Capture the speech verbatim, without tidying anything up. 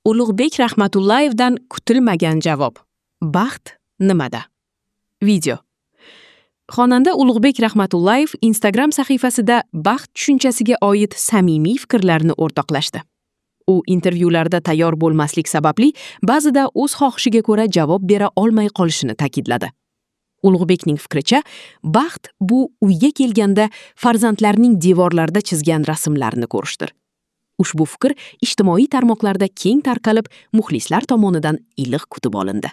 Ulug'bek Rahmatullayevdan kutilmagan javob. Baxt nimada? Video. Xonanda Ulug'bek Rahmatullayev Instagram sahifasida baxt tushunchasiga oid samimiy fikrlarini o'rtoqlashdi. U intervyularda tayyor bo'lmaslik sababli ba'zida o'z xohishiga ko'ra javob bera olmay qolishini ta'kidladi. Ulug'bekning fikricha, baxt bu uyga kelganda farzandlarning devorlarda chizgan rasmlarini ko'rishdir. Ushbu fikr ijtimoiy tarmoqlarda keng tarqalib, muxlislar tomonidan iliq kutib olindi.